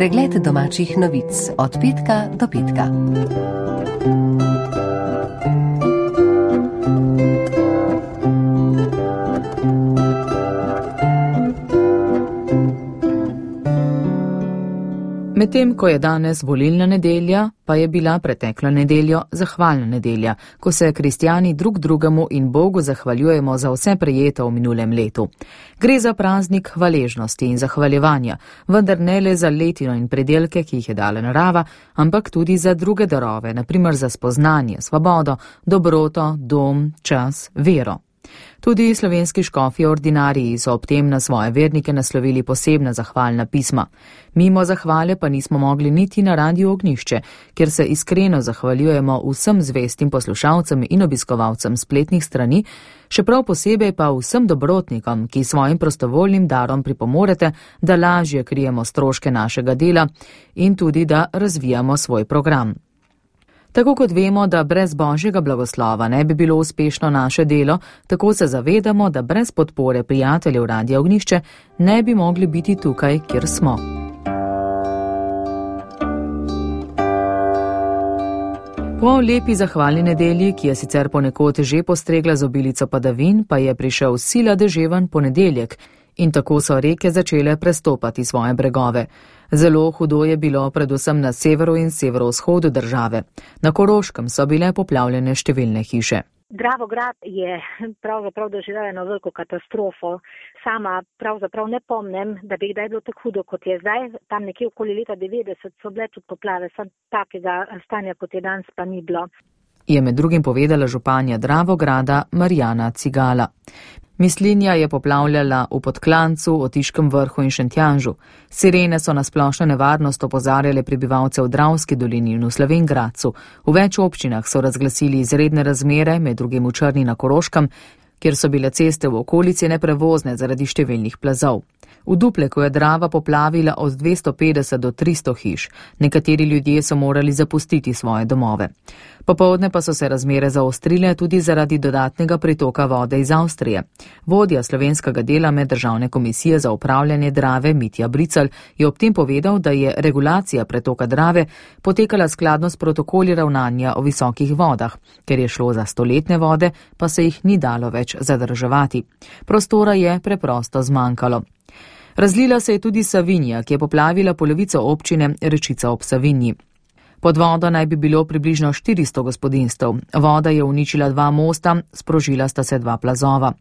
Pregled domačih novic od petka do petka. Medtem ko je danes volilna nedelja, pa je bila preteklo nedeljo zahvalna nedelja, ko se kristjani drug drugemu in Bogu zahvaljujemo za vse prejeto v minulem letu. Gre za praznik hvaležnosti in zahvaljevanja, vendar ne le za letino in predelke, ki jih je dala narava, ampak tudi za druge darove, na primer za spoznanje, svobodo, dobroto, dom, čas, vero. Tudi slovenski škofje ordinariji so ob tem na svoje vernike naslovili posebna zahvalna pisma. Mimo zahvale pa nismo mogli niti na Radiu Ognjišče, kjer se iskreno zahvaljujemo vsem zvestim poslušalcem in obiskovalcem spletnih strani, še prav posebej pa vsem dobrotnikom, ki svojim prostovoljnim darom pripomorete, da lažje krijemo stroške našega dela in tudi da razvijamo svoj program. Tako kot vemo, da brez Božjega blagoslova ne bi bilo uspešno naše delo, tako se zavedamo, da brez podpore prijateljev Radia Ognjišče ne bi mogli biti tukaj, kjer smo. Po lepi zahvalni nedelji, ki je sicer ponekod že postregla z obilico padavin, pa je prišel sila deževen ponedeljek in tako so reke začele prestopati svoje bregove. Zelo hudo je bilo predvsem na severu in severovzhodu države. Na Koroškem so bile poplavljene številne hiše. Dravograd je pravzaprav doživel eno veliko katastrofo. Sama pravzaprav ne pomnim, da bi kdaj bilo tako hudo, kot je zdaj. Tam nekje okoli leta 90 so bile tudi poplave, samo takega stanja, kot je danes, pa ni bilo. Je med drugim povedala županja Dravograda Marjana Cigala. Mislinja je poplavljala v Podklancu, Otiškem vrhu in Šentjanžu. Sirene so na splošno nevarnost opozarjale prebivalce v Dravski dolini in v Slovenj Gradcu. V več občinah so razglasili izredne razmere, med drugim v Črni na Koroškem, kjer so bile ceste v okolici neprevozne zaradi številnih plazov. V Dupleku je Drava poplavila od 250 do 300 hiš. Nekateri ljudje so morali zapustiti svoje domove. Popoldne pa so se razmere zaostrile tudi zaradi dodatnega pritoka vode iz Avstrije. Vodja slovenskega dela Meddržavne komisije za upravljanje Drave Mitja Bricelj je ob tem povedal, da je regulacija pretoka Drave potekala skladno s protokoli ravnanja o visokih vodah. Ker je šlo za stoletne vode, pa se jih ni dalo več zadrževati. Prostora je preprosto zmanjkalo. Razlila se je tudi Savinja, ki je poplavila polovico občine Rečica ob Savinji. Pod vodo naj bi bilo približno 400 gospodinstv. Voda je uničila 2 mosta, sprožila sta se 2 plazova.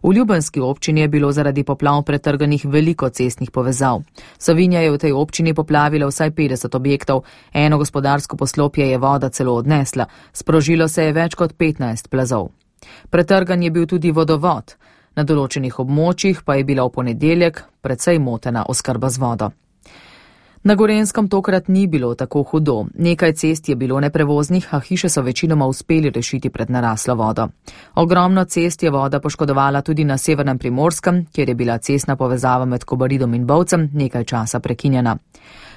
V Ljubljanski občini je bilo zaradi poplav pretrganih veliko cestnih povezav. Savinja je v tej občini poplavila vsaj 50 objektov, eno gospodarsko poslopje je voda celo odnesla, sprožilo se je več kot 15 plazov. Pretrgan je bil tudi vodovod. Na določenih območjih pa je bila v ponedeljek precej motena oskrba z vodo. Na Gorenjskem tokrat ni bilo tako hudo. Nekaj cest je bilo neprevoznih, a hiše so večinoma uspeli rešiti pred naraslo vodo. Ogromno cest je voda poškodovala tudi na severnem Primorskem, kjer je bila cestna povezava med Kobaridom in Bovcem nekaj časa prekinjena.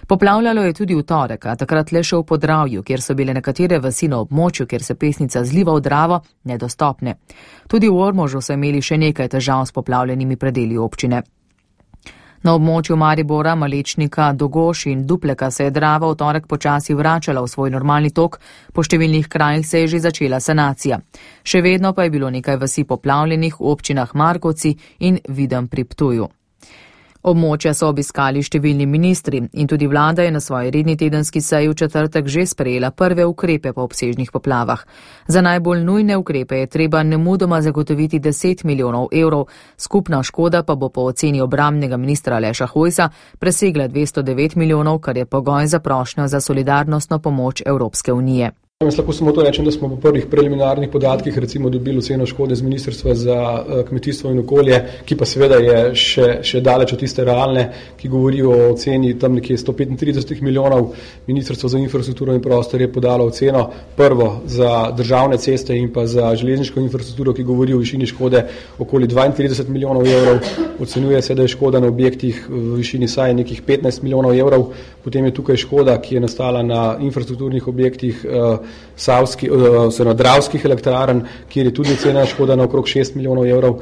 Poplavljalo je tudi v torek, a takrat le še v Podravju, kjer so bile nekatere vasi na območju, kjer se Pesnica zliva v Dravo, nedostopne. Tudi v Ormožu so imeli še nekaj težav s poplavljenimi predeli občine. Na območju Maribora, Malečnika, Dogoš in Dupleka se je Drava v torek počasi vračala v svoj normalni tok, po številnih krajih se je že začela sanacija. Še vedno pa je bilo nekaj vasi poplavljenih v občinah Markovci in Videm pri Ptuju. Območja so obiskali številni ministri in tudi vlada je na svoji redni tedenski seji v četrtek že sprejela prve ukrepe po obsežnih poplavah. Za najbolj nujne ukrepe je treba nemudoma zagotoviti 10 milijonov evrov, skupna škoda pa bo po oceni obrambnega ministra Aleša Hojsa presegla 209 milijonov, kar je pogoj za prošnjo za solidarnostno pomoč Evropske unije. Jaz lahko samo to rečem, da smo po prvih preliminarnih podatkih recimo dobili oceno škode z Ministrstva za kmetijstvo in okolje, ki pa seveda je še daleč od tiste realne, ki govori o oceni tam nekje 135 milijonov. Ministrstvo za infrastrukturo in prostor je podalo oceno prvo za državne ceste in pa za železniško infrastrukturo, ki govori o višini škode okoli 32 milijonov evrov. Ocenjuje se, da je škoda na objektih v višini saj nekih 15 milijonov evrov. Potem je tukaj škoda, ki je nastala na infrastrukturnih objektih Dravskih elektrarn, kjer je tudi ocena škoda na okrog 6 milijonov evrov.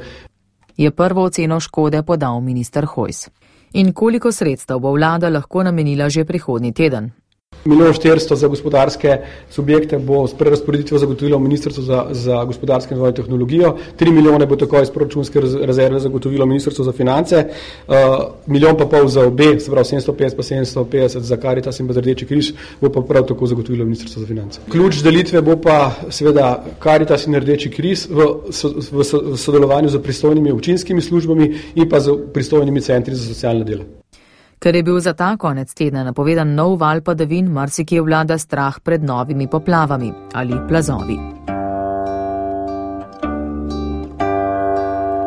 Je prvo oceno škode podal minister Hojs. In koliko sredstev bo vlada lahko namenila že prihodnji teden? 1,4 milijona za gospodarske subjekte bo s prerazporeditvijo zagotovilo Ministrstvo za gospodarsko in razvoj tehnologijo, 3 milijone bo takoj iz proračunske rezerve zagotovilo Ministrstvo za finance, 1,5 milijona za obe, se pravi 750 pa 750 za Karitas in pa za Rdeči križ, bo pa prav tako zagotovilo Ministrstvo za finance. Ključ delitve bo pa seveda Karitas in Rdeči križ v sodelovanju z pristojnimi občinskimi službami in pa z pristojnimi centri za socialno delo. Ker je bil za ta konec tedna napovedan nov val padavin, marsikje vlada strah pred novimi poplavami ali plazovi.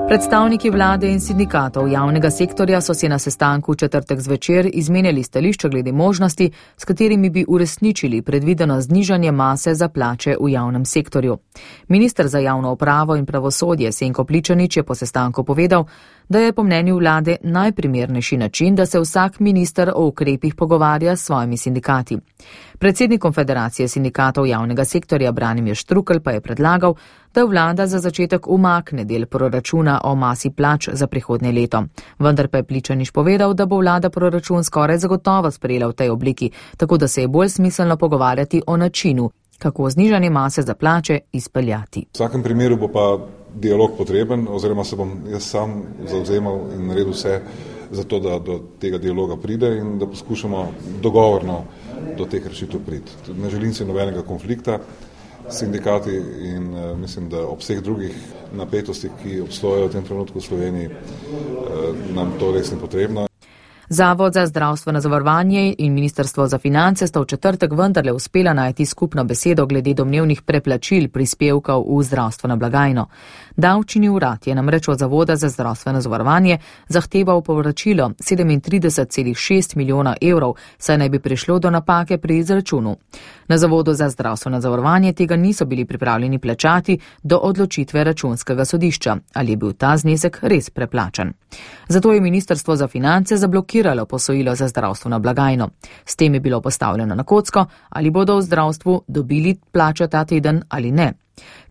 Predstavniki vlade in sindikatov javnega sektorja so si na sestanku v četrtek zvečer izmenjali stališča glede možnosti, s katerimi bi uresničili predvideno znižanje mase za plače v javnem sektorju. Minister za javno upravo in pravosodje Senko Pličanič je po sestanku povedal, da je po mnenju vlade najprimernejši način, da se vsak minister o ukrepih pogovarja s svojimi sindikati. Predsednik Konfederacije sindikatov javnega sektorja Branimir Štrukelj pa je predlagal, da vlada za začetek umakne del proračuna o masi plač za prihodnje leto. Vendar pa je Pličanič povedal, da bo vlada proračun skoraj zagotovo sprejela v tej obliki, tako da se je bolj smiselno pogovarjati o načinu, kako znižanje mase za plače izpeljati. V vsakem primeru bo pa dialog potreben, oziroma se bom jaz sam zavzemal in naredil vse za to, da do tega dialoga pride in da poskušamo dogovorno do teh rešitev priti. Ne želim si nobenega konflikta s sindikati in mislim, da ob vseh drugih napetostih, ki obstojajo v tem trenutku v Sloveniji, nam to res ni potrebno. Zavod za zdravstveno zavarovanje in Ministrstvo za finance sta v četrtek vendarle uspela najti skupno besedo glede domnevnih preplačil prispevkov v zdravstveno blagajno. Davčni urad je namreč od Zavoda za zdravstveno zavarovanje zahteval povračilo 37,6 milijona evrov, saj naj bi prišlo do napake pri izračunu. Na Zavodu za zdravstveno zavarovanje tega niso bili pripravljeni plačati do odločitve računskega sodišča, ali je bil ta znesek res preplačan. Zato je Ministrstvo za finance zablokiralo posojilo za zdravstveno blagajno. S tem je bilo postavljeno na kocko, ali bodo v zdravstvu dobili plačo ta teden ali ne.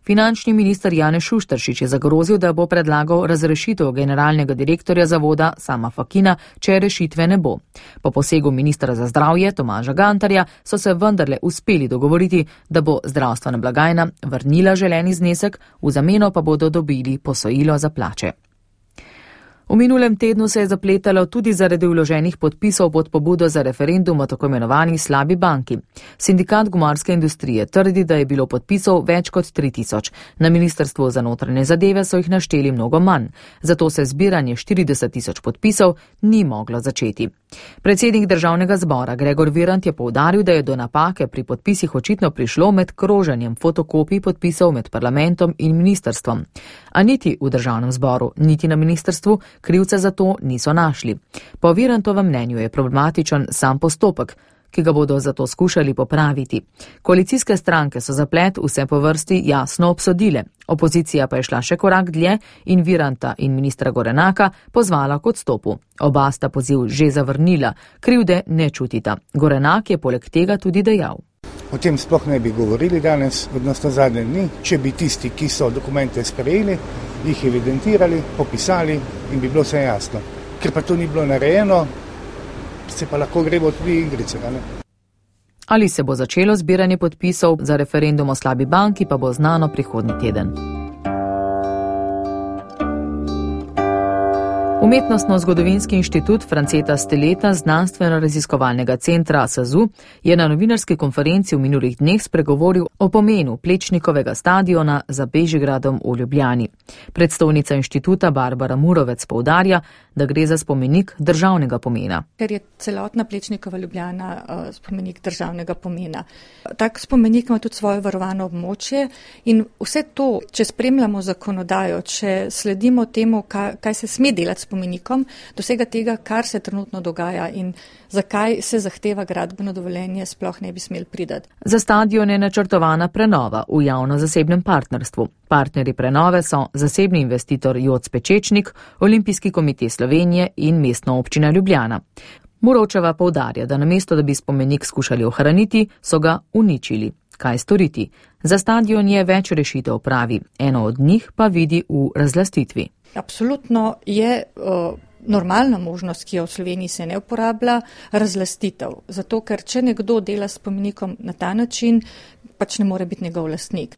Finančni minister Janez Šušteršič je zagrozil, da bo predlagal razrešitev generalnega direktorja zavoda Sama Fakina, če rešitve ne bo. Po posegu ministra za zdravje Tomaža Gantarja so se vendarle uspeli dogovoriti, da bo zdravstvena blagajna vrnila želeni znesek, v zameno pa bodo dobili posojilo za plače. V minulem tednu se je zapletalo tudi zaradi vloženih podpisov pod pobudo za referendum o tako imenovani slabi banki. Sindikat gumarske industrije trdi, da je bilo podpisov več kot 3000. Na Ministrstvu za notranje zadeve so jih našteli mnogo manj. Zato se zbiranje 40.000 podpisov ni moglo začeti. Predsednik državnega zbora Gregor Virant je poudaril, da je do napake pri podpisih očitno prišlo med kroženjem fotokopij podpisov med parlamentom in ministrstvom. A niti v državnem zboru, niti na ministrstvu krivce za to niso našli. Po Virantovem mnenju je problematičen sam postopek, ki ga bodo zato skušali popraviti. Koalicijske stranke so zaplet vse po vrsti jasno obsodile. Opozicija pa je šla še korak dlje in Viranta in ministra Gorenaka pozvala k odstopu. Oba sta poziv že zavrnila, krivde ne čutita. Gorenak je poleg tega tudi dejal: O tem sploh ne bi govorili danes, odnosno zadnje dni, če bi tisti, ki so dokumente sprejeli, jih evidentirali, popisali in bi bilo vse jasno. Ker pa to ni bilo narejeno, se pa lahko gremo tudi igrice. Ali se bo začelo zbiranje podpisov za referendum o slabi banki, pa bo znano prihodnji teden. Umetnostno-zgodovinski inštitut Franceta Steleta znanstveno-raziskovalnega centra SAZU je na novinarski konferenci v minulih dneh spregovoril o pomenu Plečnikovega stadiona za Bežigradom v Ljubljani. Predstavnica inštituta Barbara Murovec poudarja, da gre za spomenik državnega pomena. Ker je celotna Plečnikova Ljubljana spomenik državnega pomena. Tak spomenik ima tudi svoje varovano območje in vse to, če spremljamo zakonodajo, če sledimo temu, kaj se sme delati spomenikom, dosega tega, kar se trenutno dogaja in zakaj se zahteva gradbeno dovoljenje, sploh ne bi smeli pridati. Za stadion je načrtovana prenova v javno-zasebnem partnerstvu. Partnerji prenove so zasebni investitor Joc Pečečnik, Olimpijski komite Slovenije in Mestna občina Ljubljana. Murovčeva poudarja, da namesto, da bi spomenik skušali ohraniti, so ga uničili. Kaj storiti? Za stadion je več rešitev, pravi. Eno od njih pa vidi v razlastitvi. Absolutno je normalna možnost, ki jo v Sloveniji se ne uporablja, razlastitev. Zato, ker če nekdo dela s spomenikom na ta način, pač ne more biti njegov lastnik.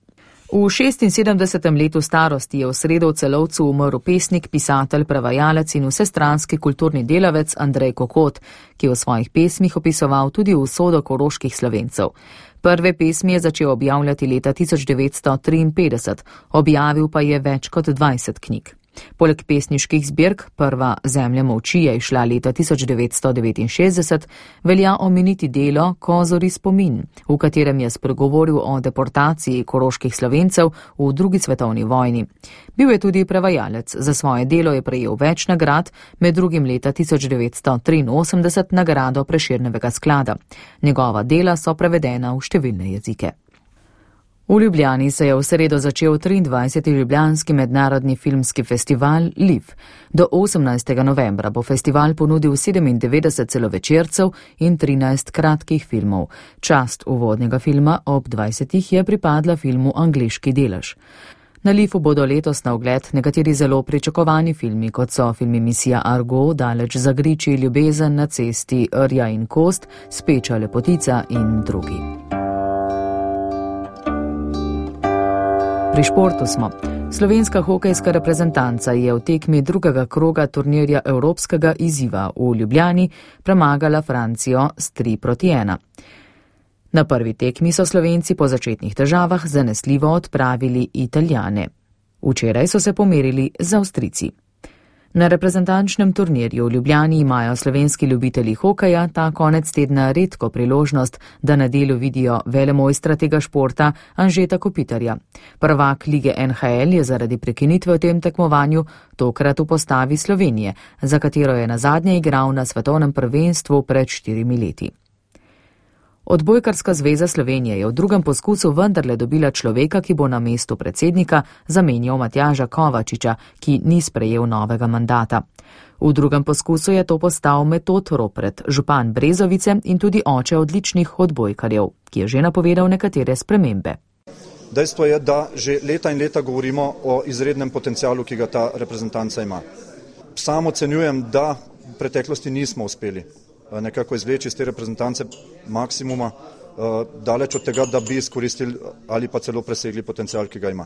V 76. letu starosti je v sredo v Celovcu umrl pesnik, pisatelj, prevajalec in vsestranski kulturni delavec Andrej Kokot, ki je v svojih pesmih opisoval tudi usodo koroških Slovencev. Prve pesmi je začel objavljati leta 1953, objavil pa je več kot 20 knjig. Poleg pesniških zbirk Prva zemlja molči je izšla leta 1969, velja omeniti delo Kozori spomin, v katerem je spregovoril o deportaciji koroških Slovencev v drugi svetovni vojni. Bil je tudi prevajalec, za svoje delo je prejel več nagrad, med drugim leta 1983 nagrado Prešernovega sklada. Njegova dela so prevedena v številne jezike. V Ljubljani se je v sredo začel 23. Ljubljanski mednarodni filmski festival LIV. Do 18. novembra bo festival ponudil 97 celovečercev in 13 kratkih filmov. Čast uvodnega filma ob 20. je pripadla filmu Angleški delež. Na LIV-u bodo letos na ogled nekateri zelo pričakovani filmi, kot so filmi Misija Argo, Daleč za griči, Ljubezen na cesti, Rja in kost, Speča lepotica in drugi. Pri športu smo. Slovenska hokejska reprezentanca je v tekmi drugega kroga turnirja Evropskega izziva v Ljubljani premagala Francijo s 3-1. Na prvi tekmi so Slovenci po začetnih težavah zanesljivo odpravili Italijane. Včeraj so se pomerili z Avstrijci. Na reprezentančnem turnirju v Ljubljani imajo slovenski ljubitelji hokeja ta konec tedna redko priložnost, da na delu vidijo velemojstra tega športa Anžeta Kopitarja. Prvak lige NHL je zaradi prekinitve v tem tekmovanju tokrat v postavi Slovenije, za katero je nazadnje igral na svetovnem prvenstvu pred 4 leti. Odbojkarska zveza Slovenije je v drugem poskusu vendarle dobila človeka, ki bo na mestu predsednika zamenjal Matjaža Kovačiča, ki ni sprejel novega mandata. V drugem poskusu je to postal Metod Ropret, župan Brezovice in tudi oče odličnih odbojkarjev, ki je že napovedal nekatere spremembe. Dejstvo je, da že leta in leta govorimo o izrednem potencialu, ki ga ta reprezentanca ima. Sam ocenjujem, da v preteklosti nismo uspeli nekako izvleči iz te reprezentance maksimuma, daleč od tega, da bi izkoristili ali pa celo presegli potencial, ki ga ima.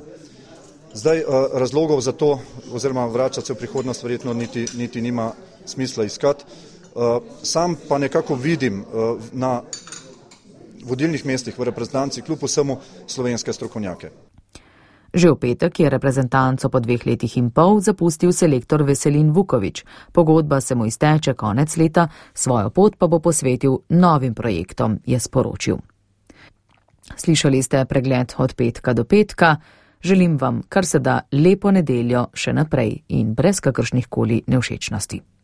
Zdaj razlogov za to, oziroma vračati se v prihodnost verjetno niti nima smisla iskati. Sam pa nekako vidim na vodilnih mestih v reprezentanci kljub vsemu slovenske strokovnjake. Že v petek je reprezentanco po 2 letih in pol zapustil selektor Veselin Vuković. Pogodba se mu izteče konec leta, svojo pot pa bo posvetil novim projektom, je sporočil. Slišali ste pregled od petka do petka. Želim vam kar se da lepo nedeljo še naprej in brez kakršnih koli nevšečnosti.